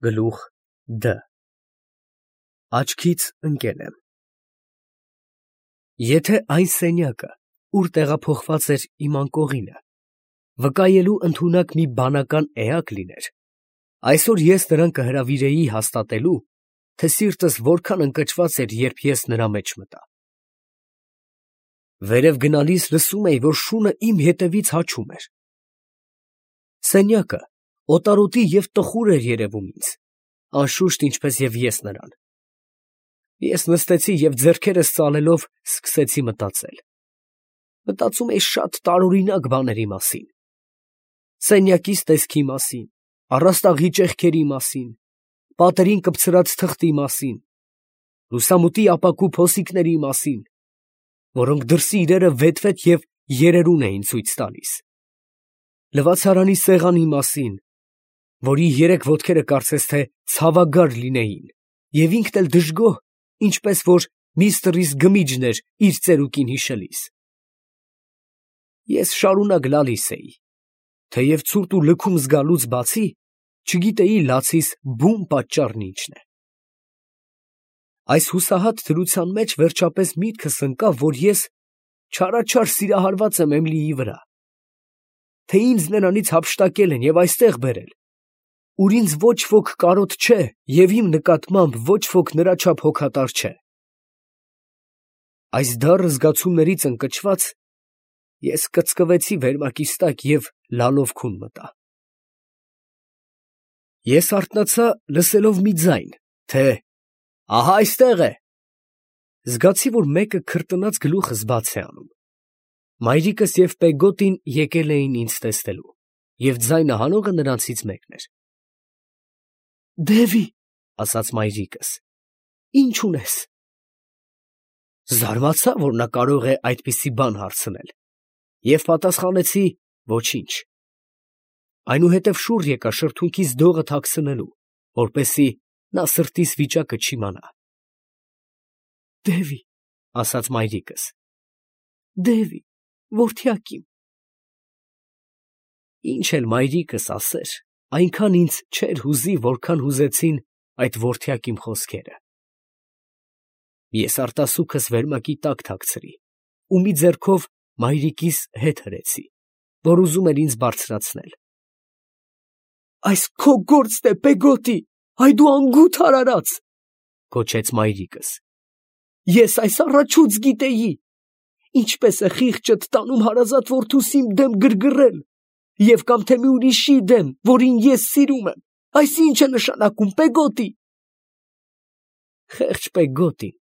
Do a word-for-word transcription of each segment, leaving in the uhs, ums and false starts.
Գլուխ Դ Աչքից ընկել եմ։ Եթե այն սենյակը, ուր տեղափոխված էր իմ անկողինը, վկայելու ընդունակ մի բանական էակ լիներ, այսօր ես նրան կհրավիրեի հաստատելու, թե սիրտս որքան ընկճված էր, երբ ես նրա մեջ մտա։ Վերև գնալիս լսում էի, որ շունը իմ ետևից հաչում էր։ Սենյակը օտարոտի և տխուր էր երևում ինձ, անշուշտ ինչպես և ես նրան։ Ես նստեցի և ձեռքերս ծալելով սկսեցի մտածել։ Մտածում էի շատ տարօրինակ բաների մասին. սենյակիս տեսքի մասին, առաստաղի ճեղքերի մասին, պատերին կպցրած թղթի մասին, լուսամուտի ապակու փոսիկների մասին, որոնք դրսի իրերը վեթվեթ և երերուն էին ցույց տալիս, լվացարանի սեղանի մասին, որի երեք ոտքերը կարծես թե ցավագար լինեին, և ինքն էլ դժգոհ, ինչպես որ միստրիս Գմիջն էր իր ծերուկին հիշելիս։ Ես շարունակ լալիս էի, թեև ցուրտ ու լքում զգալուց բացի, չգիտեի լացիս բուն պատճառն ինչն է։ Այս հուսահատ դրության մեջ վերջապես միտքս ընկավ, որ ես չարաչար սիրահարված եմ Էմիլիի վրա, թե ինձ նրանից հափշտակել են և այստեղ բերել, ուր ինձ ոչ ոք կարոտ չէ և իմ նկատմամբ ոչ ոք նրա չափ հոգատար չէ։ Այս դառը զգացումներից ընկճված, ես կծկվեցի վերմակիս տակ և լալով քուն մտա։ Ես արթնացա, լսելով մի ձայն, թե «Ահա այստեղ է»։ Զգացի, որ մեկը քրտնած գլուխս բաց է անում։ Մայրիկս և Պեգոտին եկել էին ինձ տեսնելու, և ձայնը հանողը նրանցից մեկն էր։ «Դևի, ֊ ասաց մայրիկս, ֊ ի՞նչ ունես»։ Զարմացա, որ նա կարող է այդպիսի բան հարցնել, և պատասխանեցի. «Ոչինչ»։ Այնուհետև շուռ եկա շրթունքիս դողը թաքցնելու, որպեսզի նա սրտիս վիճակը չիմանա։ «Դևի, ֊ ասաց մայրիկս, ֊ դևի, որդյակ իմ»։ Ինչ էլ մայրիկս ասեր, այնքան ինձ չէր հուզի, որքան հուզեցին այդ որդյակ իմ խոսքերը։ Ես արտասուքս վերմակի տակ թաքցրի ու մի ձեռքով մայրիկիս հետ հրեցի, որ ուզում էր ինձ բարձրացնել։ «Այս քո գործն է, Պեգոտի, այ դու անգութ արարած, ֊ գոչեց մայրիկս, ֊ ես այս առաջուց գիտեի, ինչպես է խիղճդ տանում հարազատ որդուս իմ դեմ գրգռել, և կամ թե մի ուրիշի դեմ, որին ես սիրում եմ, այս ի՞նչ է նշանակում, Պեգոտի»։ Խեղճ Պեգոտին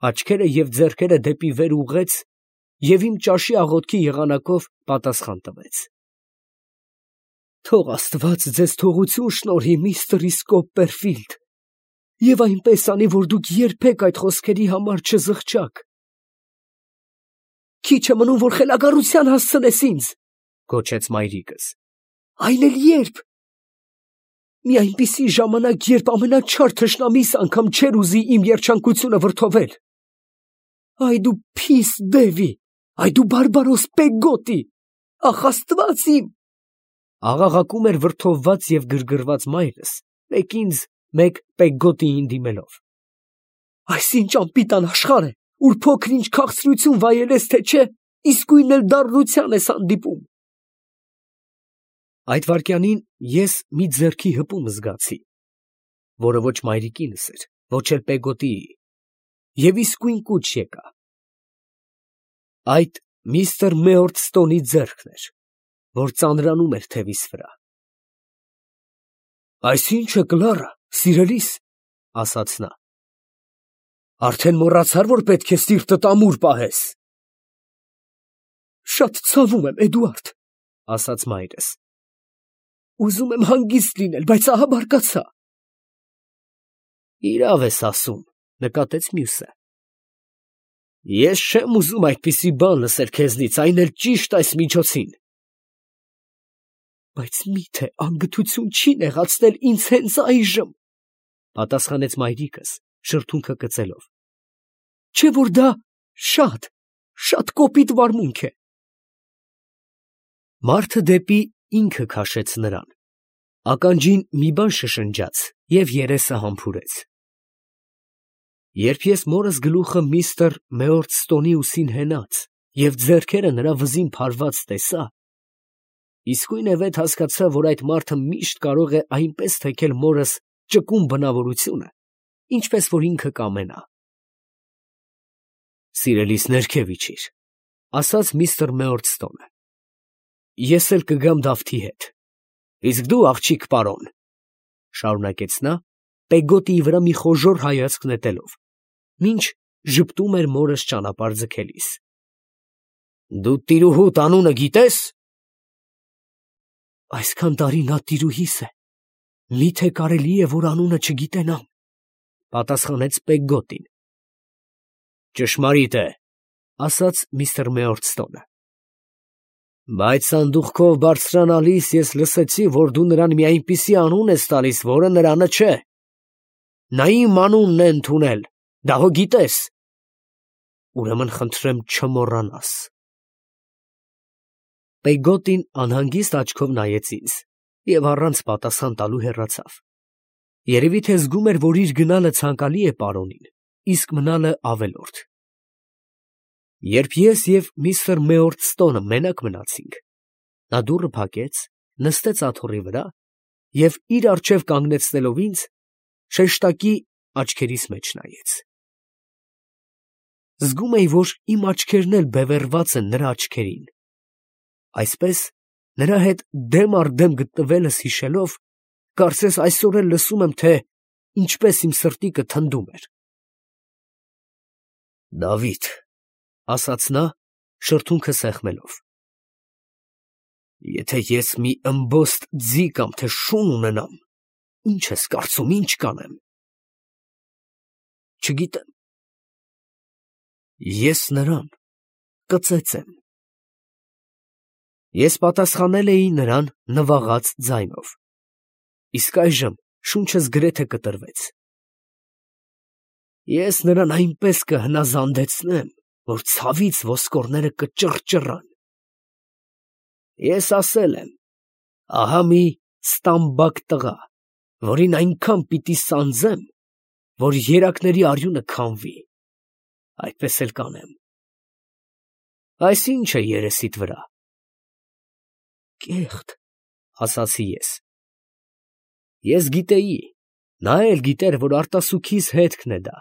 աչքերը և ձեռքերը դեպի վեր ուղղեց և իմ ճաշի աղոթքի եղանակով պատասխան տվեց. «Թող աստված ձեզ թողություն շնորհի, միստր Կոպպերֆիլդ, և այնպես անի, որ դուք երբեք այդ խոսքերի համար չզղջաք»։ «Քիչ է մնում, որ խելագարության հասցնես ինձ, ֊ գոչեց մայրիկս, ֊ այն էլ ե՞րբ։ Մի այնպիսի ժամանակ, երբ ամենաչար թշնամիս անգամ չէր ուզի իմ երջանկությունը վրդովել։ Այ դու փիս Դևի, այ դու բարբարոս Պեգոտի, ախ աստված իմ»։ Աղաղակում էր վրդովված և գրգռված մայրս, մեկ ինձ, մեկ Պեգոտիին դիմելով։ «Այս ի՞նչ անպիտան աշխարհ է, ուր փոքր֊ինչ քաղցրություն վայելես, թե չէ, իսկույն էլ դառնության ես հանդիպում»։ Այդ վայրկյանին ես մի ձեռքի հպում զգացի, որը ոչ մայրիկինս էր, ոչ էլ Պեգոտիի, և իսկույն կուչ եկա։ Այդ միստր Մեորտստոնի ձեռքն էր, որ ծանրանում էր թևիս վրա։ «Այս ի՞նչ է, Կլարա, սիրելիս, ֊ ասաց նա, ֊ արդեն մոռացա՞ր, որ պետք է սիրտդ ամուր պահես»։ «Շատ ցավում եմ, Էդուարդ, ֊ ասաց մայրս, ֊ ուզում եմ հանգիստ լինել, բայց ահա բարկացա»։ «Իրավ ես ասում, ֊ նկատեց մյուսը, ֊ ես չեմ ուզում այդպիսի բան լսել քեզնից, այն էլ ճիշտ այս միջոցին»։ «Բայց մի՞թե անգթություն չի նեղացնել ինձ հենց այժմ, ֊ պատասխանեց մայրիկս, շրթունքը կծելով, ֊ չէ՞ որ դա շատ, շատ կոպիտ վարմունք է»։ Մարդը դեպի ինքը քաշեց նրան, Ականջին մի բան շշնջաց և երեսը համբուրեց։ Երբ ես մորս գլուխը միստր Մեորդստոնի ուսին հենած և ձեռքերը նրա վզին փարված տեսա, իսկույնևեթ հասկացա, որ այդ մարդը միշտ կարող է այնպես թեքել մորս ճկուն բնավորությունը, ինչպես որ ինքը կամենա։ «Սիրելիս, ներքև իջիր», ֊ ասաց միստր Մեորդստոնը։ «Ես էլ կգամ Դավթի հետ»։ «Իսկ դու, աղջիկ պարոն, ֊ շարունակեց նա, Պեգոտիի վրա մի խոժոռ հայացք նետելով, մինչ ժպտում էր մորս ճանապարհ ձգելիս, ֊ դու տիրուհուդ անունը գիտե՞ս»։ «Այսքան տարի նա տիրուհիս է, մի՞թե կարելի է, որ անունը չգիտենամ», ֊ պատասխանեց Պեգոտին։ «Ճշմարիտ է, ֊ ասաց միստր Մեորդստոնը, ֊ բայց սանդուղքով բարձրանալիս ես լսեցի, որ դու նրան մի այնպիսի անուն ես տալիս, որը նրանը չէ։ Նա իմ անունն է ընդունել, դա հո գիտես։ Ուրեմն խնդրեմ չմոռանաս»։ Պեգոտին անհանգիստ աչքով նայեց ինձ և առանց պատասխան տալու հեռացավ։ Երևի թե զգում էր, որ իր գնալը ցանկալի է պարոնին, իսկ մնալը ավելորդ։ Երբ ես և միստր Մեորդստոնը մենակ մնացինք, նա դուռը փակեց, նստեց աթոռի վրա և իր առջև կանգնեցնելով ինձ, շեշտակի աչքերիս մեջ նայեց։ Զգում էի, որ իմ աչքերն էլ բևեռված են նրա աչքերին, այսպես, նրա հետ դեմ առ դեմ գտնվելս հիշելով, կարծես այսօր էլ լսում եմ, թե ինչպես իմ սրտիկը թնդում էր։ «Դավիթ, ֊ ասաց նա, շրթունքը սեղմելով, ֊ եթե ես մի ըմբոստ ձի կամ թե շուն ունենամ, ի՞նչ ես կարծում, ի՞նչ կանեմ»։ «Չգիտեմ, ես նրան կծեծեմ»։ Ես պատասխանել էի նրան նվաղած ձայնով, իսկ այժմ շունչս գրեթե կտրվեց։ «Ես նրան այնպես կհնազանդեցնեմ, որ ցավից ոսկորները կճռճռան։ Ես ասել եմ. ահա մի ստամբակ տղա, որին այնքան պիտի սանձեմ, որ երակների արյունը քամվի, այդպես էլ կանեմ։ Այս ի՞նչ է երեսիդ վրա»։ «Կեղտ, ֊ ասացի ես։ Ես գիտեի, նա էլ գիտեր, որ արտասուքիս հետքն է դա,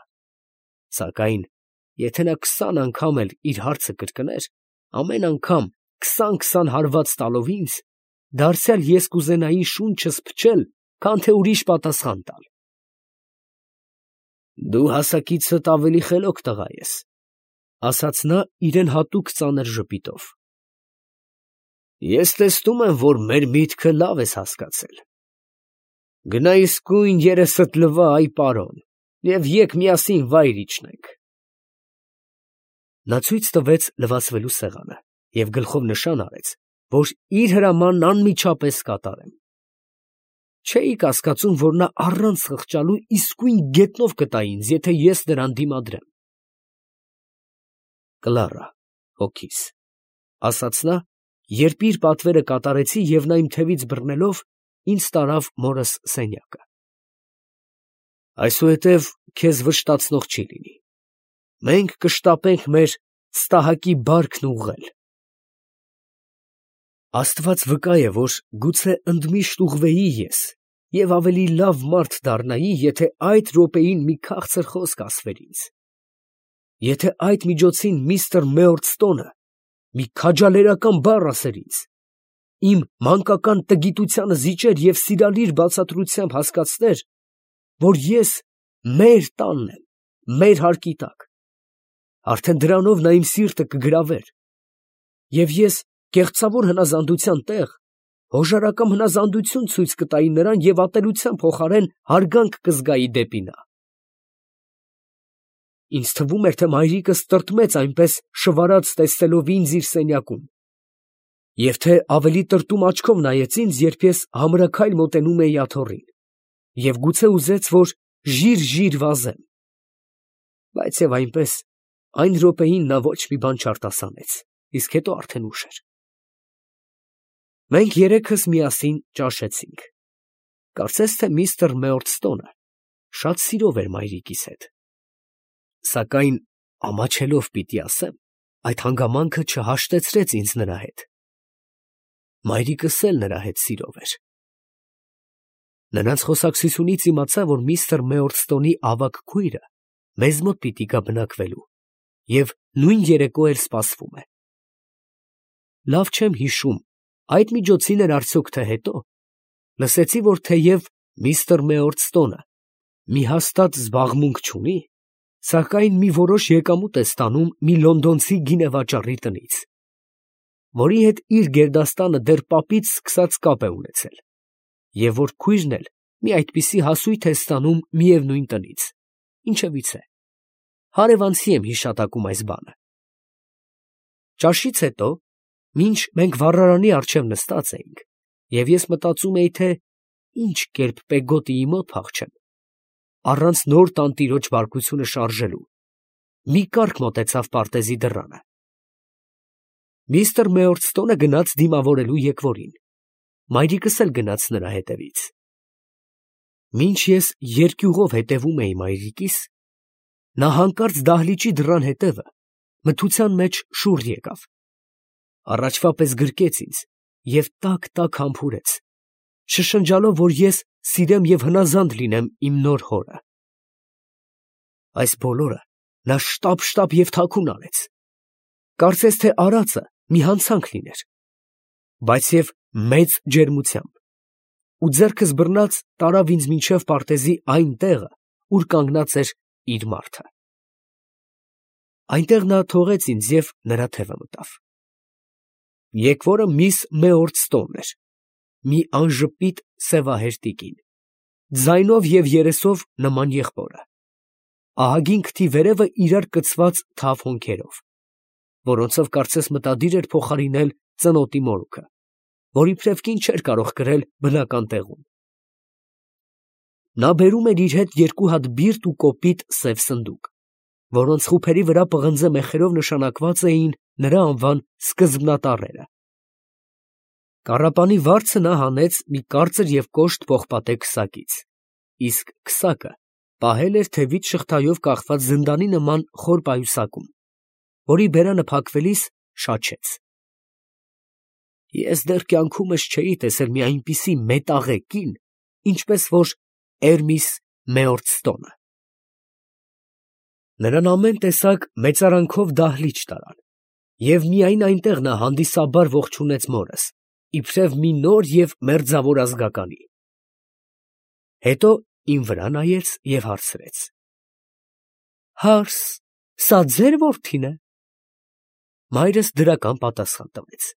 սակայն եթե նա քսան անգամ էլ իր հարցը կրկներ, ամեն անգամ քսան֊քսան հարված տալով ինձ, դարձյալ ես կուզենայի շունչս փչել, քան թե ուրիշ պատասխան տալ։ Դու հասակիցդ ավելի խելոք տղա ես, ֊ ասաց նա իրեն հատուկ ծանր ժպիտով։ Ես տեսնում եմ, որ մեր միտքը լավ ես հասկացել։ Գնա իսկույն երեսդ լվա, այ պարոն, և եկ միասին վայր իջնենք։ Նա ցույց տվեց լվացվելու սեղանը և գլխով նշան արեց, որ իր հրամանն անմիջապես կատարեմ։ Չէի կասկածում, որ նա առանց խղճալու իսկույն գետնով կտա ինձ, եթե ես նրան դիմադրեմ։ «Կլարա, հոգիս, ֊ ասաց նա, երբ իր պատվերը կատարեցի և նա իմ թևից բռնելով ինձ տարավ մորս սենյակը, ֊ այսուհետև քեզ վշտացնող չի լինի, մենք կշտապենք մեր ստահակի բարքն ուղղել։ Աստված վկա է, որ գուցե ընդմիշտ ուղղվեի ես և ավելի լավ մարդ դառնայի, եթե այդ րոպեին մի քաղցր խոսք ասվեր ինձ, եթե այդ միջոցին միստր Մեորդստոնը մի քաջալերական բառ ասեր ինձ, իմ մանկական տգիտությանը զիջեր և սիրալիր բացատրությամբ հասկացներ, որ ես մեր տանն եմ, մեր հարկի տակ, արդեն դրանով նա իմ սիրտը կգրավեր, և ես կեղծավոր հնազանդության տեղ հոժարակամ հնազանդություն ցույց կտայի նրան և ատելության փոխարեն հարգանք կզգայի դեպի նա։ Ինձ թվում էր, թե մայրիկս տրտմեց այնպես շվարած տեսնելով ինձ իր սենյակում, և թե ավելի տրտում աչքով նայեց ինձ, երբ ես համրաքայլ մոտենում էի աթոռին, և գուցե ուզեց, որ ժիր֊ժիր վազեմ, բայց և այնպես, այն րոպեին նա ոչ մի բան չարտասանեց, իսկ հետո արդեն ուշ էր։ Մենք երեքս միասին ճաշեցինք։ Կարծես թե միստր Մեորդստոնը շատ սիրով էր մայրիկիս հետ, սակայն ամաչելով պիտի ասեմ, այդ հանգամանքը չհաշտեցրեց ինձ նրա հետ. մայրիկս էլ նրա հետ սիրով էր։ Նրանց խոսակցությունից իմացա, որ միստր Մեորդստոնի ավագ քույրը մեզ մոտ պիտի գա բնակվելու և նույն երեկո էլ սպասվում է։ Լավ չեմ հիշում, այդ միջոցին էր արդյոք թե հետո, լսեցի, որ թեև միստր Մեորդստոնը մի հաստատ զբաղմունք չունի, սակայն մի որոշ եկամուտ է ստանում մի լոնդոնցի գինեվաճառի տնից, որի հետ իր գերդաստանը դեռ պապից սկսած կապ է ունեցել, և որ քույրն էլ մի այդպիսի հասույթ է ստանում միևնույն տնից, ինչևից է, հարևանցի եմ հիշատակում այս բանը։ Ճաշից հետո, մինչ մենք վառարանի առջև նստած էինք, և ես մտածում էի, թե ինչ կերպ Պեգոտիի մոտ փախչեմ, առանց նոր տանտիրոջ բարկությունը շարժելու, մի կառք մոտեցավ պարտեզի դռանը։ Միստր Մեորդստոնը գնաց դիմավորելու եկվորին, մայրիկս էլ գնաց նրա հետևից։ Մինչ ես երկյուղով հետևում էի մայրիկիս, նա հանկարծ դահլիճի դռան հետևը մթության մեջ շուռ եկավ, առաջվա պես գրկեց ինձ և տաք֊տաք համբուրեց, շշնջալով, որ ես սիրեմ և հնազանդ լինեմ իմ նոր հորը։ Այս բոլորը նա շտապ֊շտապ և թաքուն արեց, կարծես թե արածը մի հանցանք լիներ, բայց և մեծ ջերմությամբ, ու ձեռքս բռնած տարավ ինձ մինչև պարտեզի այն տեղը, ուր կանգնած էր իր մարդը։ Այնտեղ նա թողեց ինձ և նրա թևը մտավ։ Եկվորը միս Մեորդստոնն էր, մի անժպիտ սևահեր տիկին, ձայնով և երեսով նման եղբորը, ահագին քթի վերևը իրար կցված թավ հոնքերով, որոնցով կարծես մտադիր էր փոխարինել ծնոտի մորուքը, որ իբրև կին չէր կարող կրել բնական տեղում։ Նա բերում էր իր հետ երկու հատ բիրտ ու կոպիտ սև սնդուկ, որոնց խուփերի վրա պղնձե մեխերով նշանակված էին նրա անվան սկզբնատառերը։ Կառապանի վարձը նա հանեց մի կարծր և կոշտ պողպատե քսակից, իսկ քսակը պահել էր թևից շղթայով կախված զնդանի նման խոր պայուսակում, որի բերանը փակվելիս շաչեց։ Ես դեռ կյանքումս չէի տեսել մի այնպիսի մետաղե կին, ինչպես որ Էրմիս Մեորդստոնը։ Նրան ամեն տեսակ մեծարանքով դահլիճ տարան, և միայն այնտեղ նա հանդիսաբար ողջունեց մորս, իբրև մի նոր և մերձավոր ազգականի։ Հետո իմ վրա նայեց և հարցրեց. Հարս, սա ձեր որդի՞ն է։ Մայրս դրական պատասխան տվեց։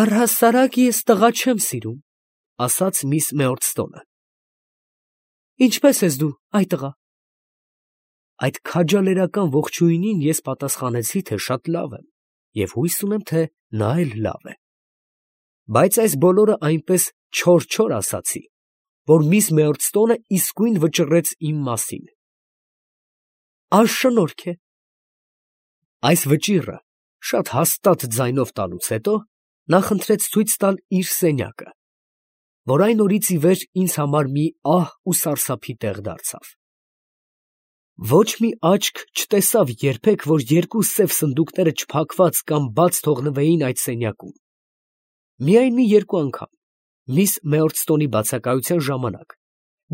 Առհասարակ ես տղա չեմ սիրում, ասաց միս Մեորդստոնը։ Ինչպե՞ս ես դու, այ տղա։ Այդ քաջալերական ողջույնին ես պատասխանեցի, թե շատ լավ եմ և հույս ունեմ, թե նա էլ լավ է, բայց այս բոլորը այնպես չոր֊չոր ասացի, որ միս Մեորդստոնը իսկույն վճռեց իմ մասին։ Անշնորհք է։ Այս վճիռը շատ հաստատ ձայնով տալուց հետո նա խնդրեց ցույց տալ իր սենյակը, որ այն օրից ի վեր ինձ համար մի ահ ու սարսափի տեղ դարձավ։ Ոչ մի աչք չտեսավ երբեք, որ երկու սև սնդուկները չփակված կամ բաց թողնվեին այդ սենյակում։ Միայն մի երկու անգամ, միս Մեորդստոնի բացակայության ժամանակ,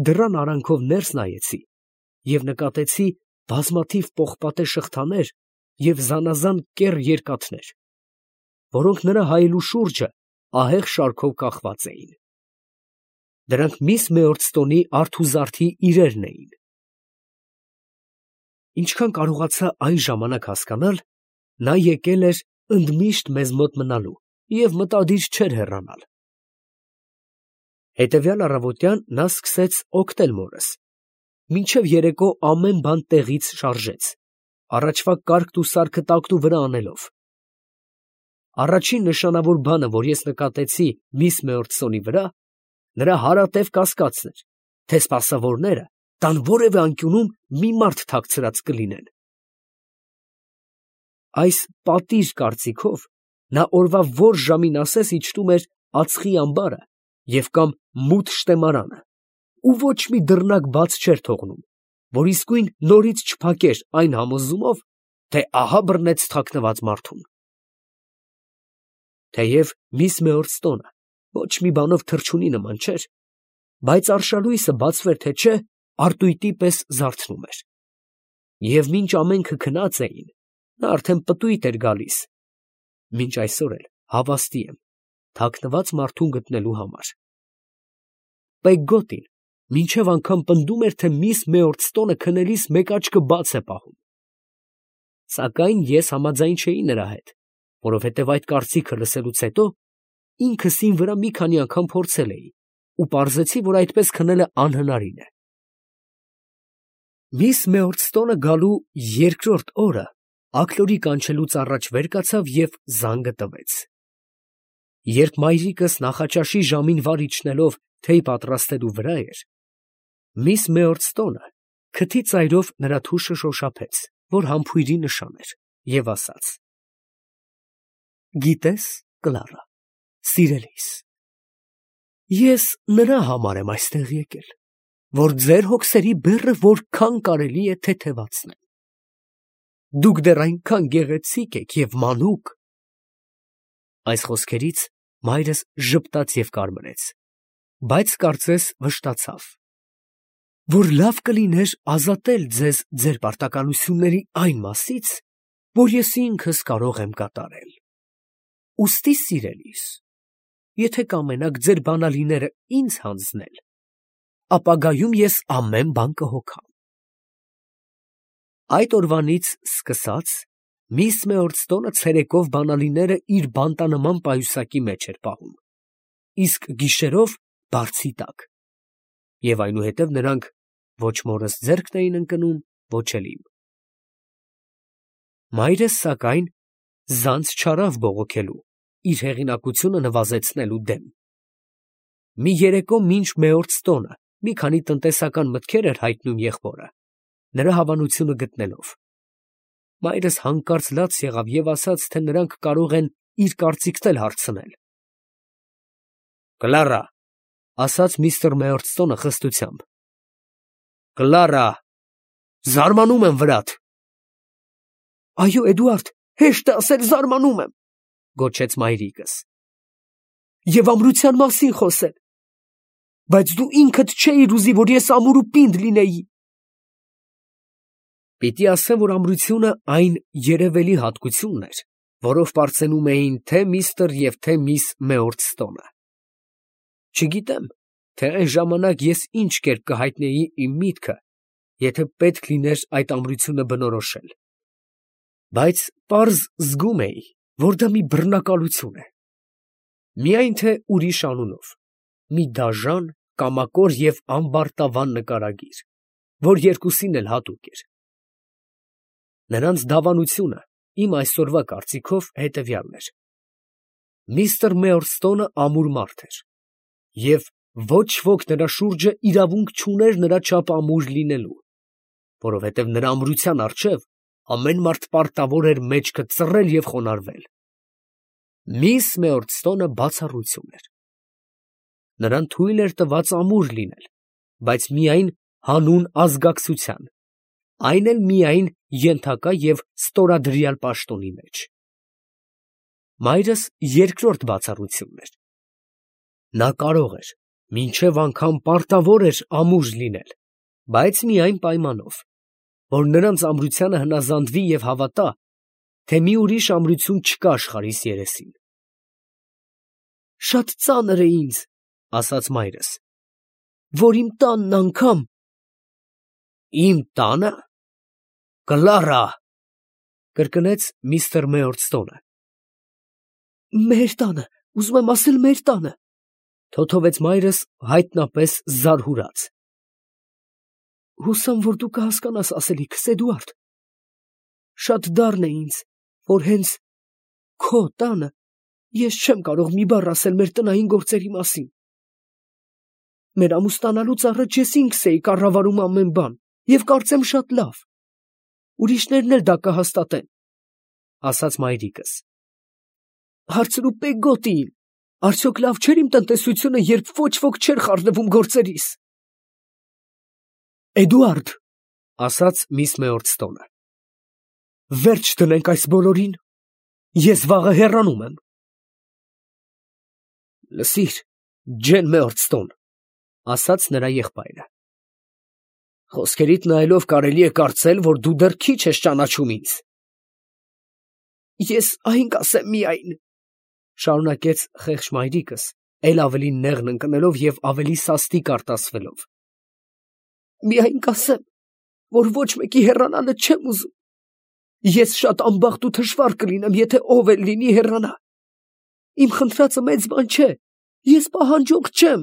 դռան արանքով ներս նայեցի և նկատեցի բազմաթիվ պողպատե շղթաներ և զանազան կեռ երկաթներ, որոնք նրա հայելու շուրջը ահեղ շարքով կախված էին։ Դրանք միս Մեորդստոնի արթուզարդի իրերն էին։ Ինչքան կարողացա այն ժամանակ հասկանալ, նա եկել էր ընդմիշտ մեզ մոտ մնալու և մտադիր չէր հեռանալ։ Հետևյալ առավոտյան նա սկսեց օգնել մորս, մինչև երեկո ամեն բան տեղից շարժեց, առաջվա կարգն ու սարքը տակնուվրա անելով։ Առաջին նշանավոր բանը, որ ես նկատեցի միս Մեորդստոնի վրա, նրա հարատև կասկածն էր, թե սպասավորները տան որևէ անկյունում մի մարդ թաքցրած կլինեն։ Այս պատիր կարծիքով նա օրվա որ ժամին ասես իջնում էր ածխի ամբարը և կամ մութ շտեմարանը, ու ոչ մի դռնակ բաց չէր թողնում, որ իսկույն նորից չփակեր այն համոզումով, թե ահա բռնեց թաքնված մարդուն։ Թեև միս Մեորստոնը ոչ մի բանով թռչունի նման չէր, բայց արշալույսը բացվեր թե չէ, արտույտի պես զարթնում էր։ Եվ մինչ ամենքը քնած էին, նա արդեն պտույտ էր գալիս, մինչ այսօր էլ հավաստի եմ, թաքնված մարդուն գտնելու համար։ Պեգգոտին մինչև անգամ պնդում էր, թե միս Մեորստոնը քնելիս մեկ աչքը բաց է պահում։ Սակայն ես համաձայն չէի նրա հետ, որովհետև այդ կարծիքը լսելուց հետո ինքս ին վրա մի քանի անգամ փորձել էի ու պարզեցի, որ այդպես քնելը անհնարին է։ Միս Մեորստոնը գալու երկրորդ օրը աքլորի կանչելուց առաջ վեր կացավ և զանգը տվեց։ Երբ մայրիկս նախաճաշի ժամին վար իջնելով թեյ պատրաստելու վրա էր, միս Մեորստոնը քթի ծայրով նրա թուշը շոշափեց, որ համբույրի նշան էր, և ասաց. «Գիտես, Կլարա, սիրելիս, ես նրա համար եմ այստեղ եկել, որ ձեր հոգսերի բեռը որքան կարելի է թեթևացնեմ։ Դուք դեռ այնքան գեղեցիկ եք և մանուկ…» Այս խոսքերից մայրս ժպտաց և կարմրեց, բայց կարծես վշտացավ, որ լավ կլիներ ազատել ձեզ ձեր պարտականությունների այն մասից, որ ես ինքս կարող եմ կատարել։ Ուստի, սիրելիս, եթե կամենաք ձեր բանալիները ինձ հանձնել, ապագայում ես ամեն բան կհոգամ։ Այդ օրվանից սկսած միս Մեորստոնը ցերեկով բանալիները իր բանտանման պայուսակի մեջ էր պահում, իսկ գիշերով բարձի տակ, և այնուհետև նրանք ոչ մորս ձեռքն էին ընկնում, ոչ էլ իմ։ Մայրս, սակայն, զանց չարավ բողոքելու, իր հեղինակությունը նվազեցնելու դեմ։ Մի երեկո մինչ Մեորստոնը մի քանի տնտեսական մտքեր էր հայտնում եղբորը, նրա հավանությունը գտնելով, մայրս հանկարծ լաց եղավ և ասաց, թե նրանք կարող են իր կարծիքն էլ հարցնել։ «Կլարա, ֊ ասաց միստր Մեորստոնը խստությամբ, ֊ Կլարա, զարմանում եմ վրադ»։ «Այո, Էդուարդ, հեշտ է ասել զարմանում եմ, ֊ գոչեց մայրիկս, ֊ և ամրության մասին խոսել, բայց դու ինքդ չէիր ուզի, որ ես ամուր ու պինդ լինեի։ Պիտի ասեմ, որ ամրությունը այն երևելի հատկությունն էր, որով պարծենում էին թե միստր և թե միս Մեորստոնը։ Չգիտեմ, թե այն ժամանակ ես ինչ կերպ կհայտնեի իմ միտքը, եթե պետք լիներ այդ ամրությունը բնորոշել, բայց պարզ զգում էի, որ դա մի բռնակալություն է, միայն թե ուրիշ անունով, մի դաժան, կամակոր և ամբարտավան նկարագիր, որ երկուսին էլ հատուկ էր։ Նրանց դավանությունը իմ այսօրվա կարծիքով հետևյալն էր. միստր Մեորստոնը ամուր մարդ էր, և ոչ ոք նրա շուրջը իրավունք չուներ նրա չափ ամուր լինելու, որովհետև նրա ամրության առջև ամեն մարդ պարտավոր էր մեջքը ծռել և խոնարհվել։ Միս Մեորստոնը բացառություն էր. նրան թույլ էր տված ամուր լինել, բայց միայն հանուն ազգակցության, այն էլ միայն ենթակա և ստորադրյալ պաշտոնի մեջ։ Մայրս երկրորդ բացառությունն էր. նա կարող էր մինչև անգամ պարտավոր էր ամուր լինել, բայց մի այն պայմանով, որ նրանց ամրությանը հնազանդվի և հավատա, թե մի ուրիշ ամրություն չկա աշխարհիս երեսին։ «Շատ ծանր է ինձ, ֊ ասաց մայրս, ֊ որ իմ տանն անգամ…» «Իմ տանը… Կլարա… ֊ կրկնեց միստր Մեորստոնը։ «Մեր տանը, ուզում եմ ասել մեր տանը…» թոթովեց մայրս հայտնապես զարհուրած։ «Հուսամ, որ դու կհասկանաս ասելիքս, Էդուարդ… Շատ դառն է ինձ, որ հենց քո տանը ես չեմ կարող մի բառ ասել մեր տնային գործերի մասին… Մեր ամուսնանալուց առաջ ես ինքս էի կառավարում ամեն բան և կարծեմ շատ լավ… Ուրիշներն էլ դա կհաստատեն, ֊ ասաց մայրիկս… Հարցրու Պեգգոտիին, Արդյոք լավ չէր իմ տնտեսությունը, երբ ոչ ոք չէր խառնվում գործերիս։ Էդուարդ, ասաց միս Մեորտստոնը, վերջ դնենք այս բոլորին, ես վաղը հեռանում եմ։ Լսիր, Ջեն Մեորտստոն, ասաց նրա եղբայրը, խոսքերիդ նայելով կարելի է կարծել, որ դու դեռ քիչ ես ճանաչում ինձ։ Ես այն կասեմ միայն, շարունակեց խեղճ մայրիկս, էլ ավելի նեղն ընկնելով և ավելի սաստիկ արտասվելով. միայն կասեմ, որ ոչ մեկի հեռանալը չեմ ուզում։ Ես շատ անբախտ ու թշվառ կլինեմ, եթե ով էլ լինի հեռանա։ Իմ խնդրածը մեծ բան չէ, ես պահանջող չեմ։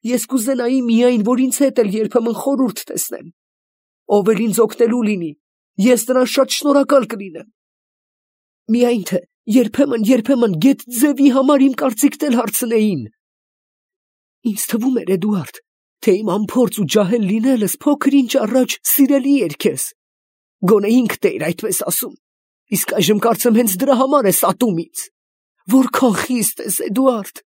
Ես կուզենայի միայն, որ ինձ հետ էլ երբեմն խորհուրդ տեսնեն։ Ով էլ ինձ օգնելու լինի, ես նրան շատ շնորհակալ կլինեմ։ Միայն թե երբեմն, երբեմն գեթ ձևի համար իմ կարծիքն էլ հարցնեին։ Ինձ թվում էր, Էդուարդ, թե իմ անփորձ ու ջահել լինելս փոքր ինչ առաջ սիրելի էր քեզ։ Գոնե ինքդ էիր այդպես ասում, իսկ այժմ կարծեմ հենց դրա համար ես ատում ինձ։ Որքան խիստ ես, Էդուարդ։